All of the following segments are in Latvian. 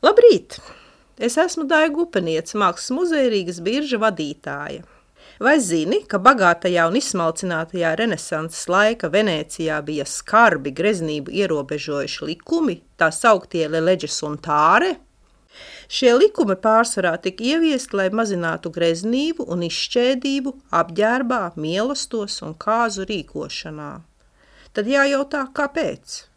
Labrīt! Es esmu Daiga Upeniece, Mākslas muzeja Rīgas birža vadītāja. Vai zini, ka bagātajā un izsmalcinātajā renesanses laika Venēcijā bija skarbi greznību ierobežojuši likumi, tā sauktie leģes un tāre? Šie likumi pārsvarā tika ieviesti, lai mazinātu greznību un izšķēdību apģērbā, mīlestos un kāzu rīkošanā. Tad jājautā, kāpēc?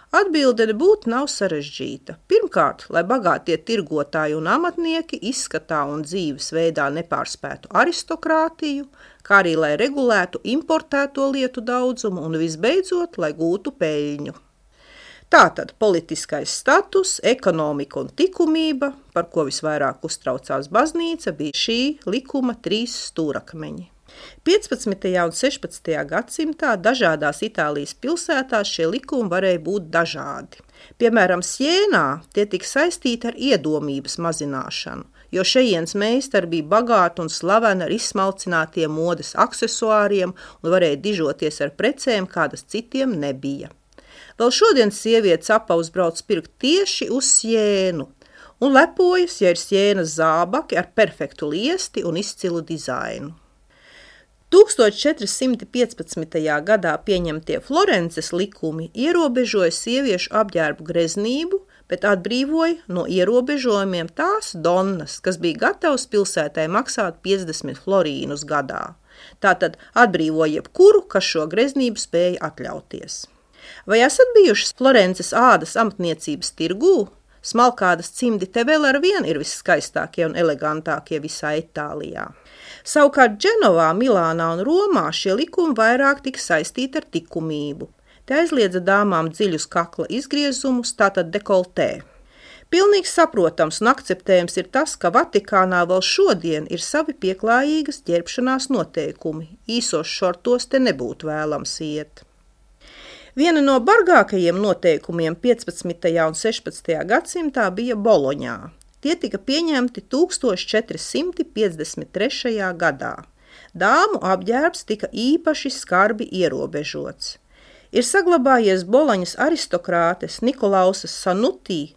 Atbilde nebūtu nav sarežģīta. Pirmkārt, lai bagātie tirgotāji un amatnieki izskatā un dzīves veidā nepārspētu aristokrātiju, kā arī lai regulētu importēto lietu daudzumu un visbeidzot, lai gūtu peļņu. Tātad politiskais status, ekonomika un likumība, par ko visvairāk uztraucās baznīca, bija šī likuma 3 stūrakmeņi. 15. un 16. gadsimtā dažādās Itālijas pilsētās šie likumi varēja būt dažādi. Piemēram, Sienā tie tika saistīti ar iedomības mazināšanu, jo šejienes meistari bija bagāti un slaveni ar izsmalcinātiem modes aksesuāriem un varēja dižoties ar precēm, kādas citiem nebija. Vēl šodien sievietes apaus brauc pirkt tieši uz Sienu un lepojas, ja ir Sienas zābaki ar perfektu liesti un izcilu dizainu. 1415. gadā pieņemtie Florences likumi ierobežoja sieviešu apģērbu greznību, bet atbrīvoja no ierobežojumiem tās donnas, kas bija gatavas pilsētai maksāt 50 florīnus gadā. Tātad atbrīvoja jebkuru, kas šo greznību spēja atļauties. Vai esat bijušas Florences ādas amatniecības tirgū? Smalkādas cimdi te vēl ar vienu ir visskaistākie un elegantākie visā Itālijā. Savukārt Dženovā, Milānā un Romā šie likumi vairāk tika saistīti ar likumību. Te aizliedza dāmām dziļus kakla izgriezumus, tātad dekoltē. Pilnīgi saprotams un akceptējams ir tas, ka Vatikānā vēl šodien ir savi pieklājīgas ģērbšanās noteikumi. Īsos šortos te nebūtu vēlams iet. Viena no bargākajiem noteikumiem 15. un 16. gadsimtā bija Boloņā. Tie tika pieņemti 1453. gadā. Dāmu apģērbs tika īpaši skarbi ierobežots. Ir saglabājies Boloņas aristokrātes Nikolausas Sanutī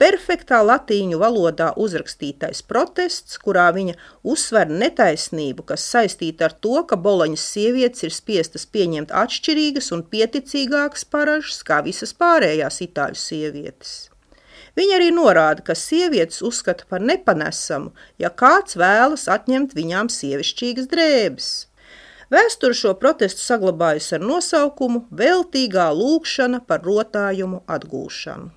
perfektā latīņu valodā uzrakstītais protests, kurā viņa uzsver netaisnību, kas saistīta ar to, ka Boloņas sievietes ir spiestas pieņemt atšķirīgas un pieticīgākas paražas kā visas pārējās itāļu sievietes. Viņa arī norāda, ka sievietes uzskata par nepanesamu, ja kāds vēlas atņemt viņām sievišķīgas drēbes. Vēsture šo protestu saglabājusi ar nosaukumu Veltīgā lūgšana par rotājumu atgūšanu.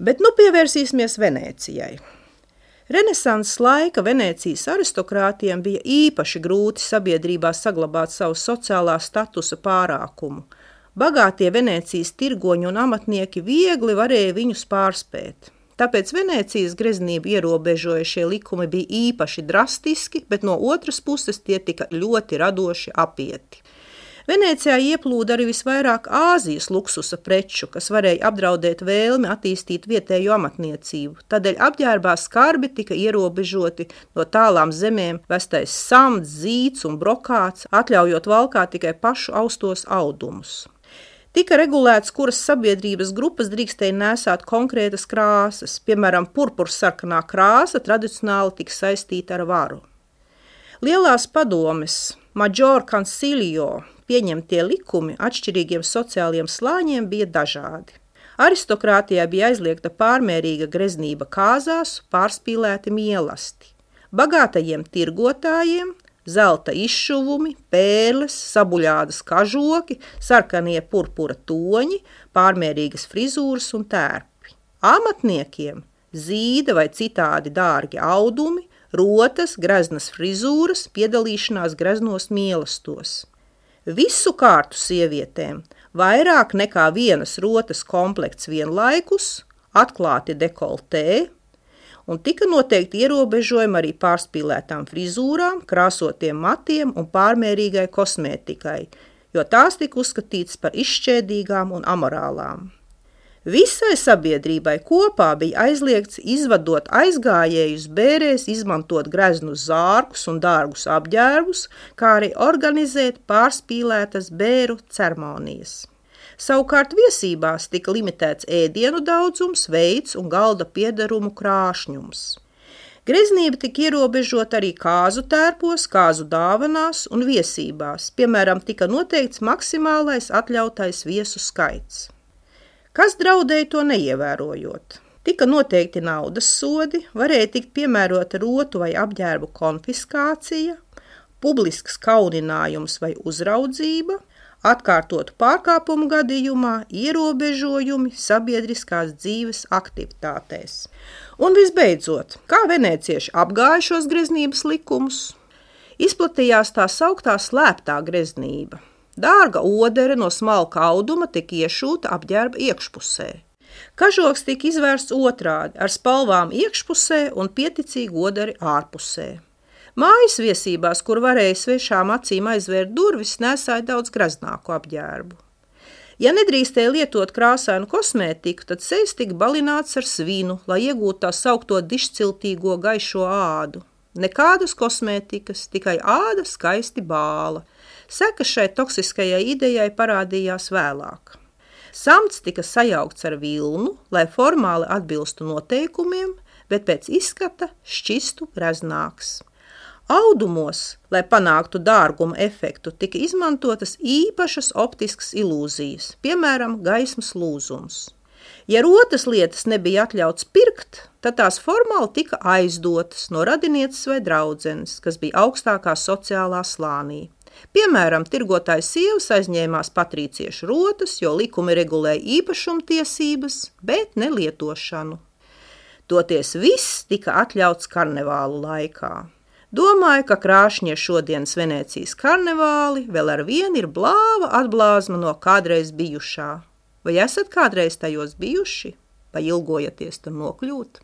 Bet nu pievērsīsimies Venēcijai. Renesanses laika Venēcijas aristokrātiem bija īpaši grūti sabiedrībā saglabāt savu sociālā statusa pārākumu. Bagātie Venēcijas tirgoņi un amatnieki viegli varēja viņus pārspēt. Tāpēc Venēcijas greznību ierobežojušie likumi bija īpaši drastiski, bet no otras puses tie tika ļoti radoši apieti. Venēcijā ieplūda arī visvairāk Āzijas luksusa preču, kas varēja apdraudēt vēlmi attīstīt vietējo amatniecību. Tādēļ apģērbā skarbi tika ierobežoti no tālām zemēm vestais samts, zīts un brokāts, atļaujot valkāt tikai pašu austos audumus. Tika regulēts, kuras sabiedrības grupas drīkstēja nēsāt konkrētas krāsas, piemēram, purpursarkanā krāsa tradicionāli tika saistīta ar varu. Lielās padomes Major Concilio pieņemtie likumi atšķirīgiem sociāliem slāņiem bija dažādi. Aristokrātijā bija aizliegta pārmērīga greznība kāzās, pārspīlēti mīlesti. Bagātajiem tirgotājiem zelta izšuvumi, pērles, sabuļādas kažoki, sarkanie purpura toņi, pārmērīgas frizūras un tērpi. Amatniekiem zīda vai citādi dārgi audumi, rotas, greznas frizūras, piedalīšanās greznos mīlestos. Visu kārtu sievietēm vairāk nekā vienas rotas komplekts vienlaikus, atklāti dekoltē, un tika noteikti ierobežojumi arī pārspīlētām frizūrām, krāsotiem matiem un pārmērīgai kosmētikai, jo tās tika uzskatītas par izšķēdīgām un amorālām. Visai sabiedrībai kopā bija aizliegts izvadot aizgājējus bērēs, izmantot greznus zārkus un dārgus apģērbus, kā arī organizēt pārspīlētas bēru ceremonijas. Savukārt viesībās tika limitēts ēdienu daudzums, veids un galda piederumu krāšņums. Greznība tika ierobežota arī kāzu tērpos, kāzu dāvanās un viesībās, piemēram, tika noteikts maksimālais atļautais viesu skaits. Kas draudēja to neievērojot? Tika noteikti naudas sodi, varēja tikt piemērota rotu vai apģērbu konfiskācija, publisks kauninājums vai uzraudzība, atkārtotu pārkāpumu gadījumā ierobežojumi sabiedriskās dzīves aktivitātēs. Un visbeidzot, kā venēcieši apgāja šos greznības likumus? Izplatījās tā sauktā slēptā greznība. Dārga odere no smalka auduma tika iešūta apģērba iekšpusē. Kažoks tika izvērsts otrādi, ar spalvām iekšpusē un pieticīgu oderi ārpusē. Mājas viesībās, kur varēja svešām acīm aizvērt durvis, nesāja daudz graznāku apģērbu. Ja nedrīkstēja lietot krāsainu kosmētiku, tad sejas tika balināts ar svinu, lai iegūtu tā saukto dišciltīgo gaišo ādu. Nekādas kosmētikas, tikai āda skaisti bāla. Sekas šai toksiskajai idejai parādījās vēlāk. Samts tika sajaukts ar vilnu, lai formāli atbilstu noteikumiem, bet pēc izskata šķistu graznāks. Audumos, lai panāktu dārguma efektu, tika izmantotas īpašas optiskas ilūzijas, piemēram, gaismas lūzums. Ja rotas lietas nebija atļauts pirkt, tad tās formāli tika aizdotas no radinieces vai draudzenes, kas bija augstākā sociālā slānī. Piemēram, tirgotājs sievas aizņēmās patrīciešu rotas, jo likumi regulēja īpašumtiesības, bet ne lietošanu. Toties viss tika atļauts karnevālu laikā. Domāju, ka krāšņie šodienas Venēcijas karnevāli vēl ar vienu ir blāva atblāzma no kādreiz bijušā. Vai esat kādreiz tajos bijuši? Vai ilgojaties tur nokļūt?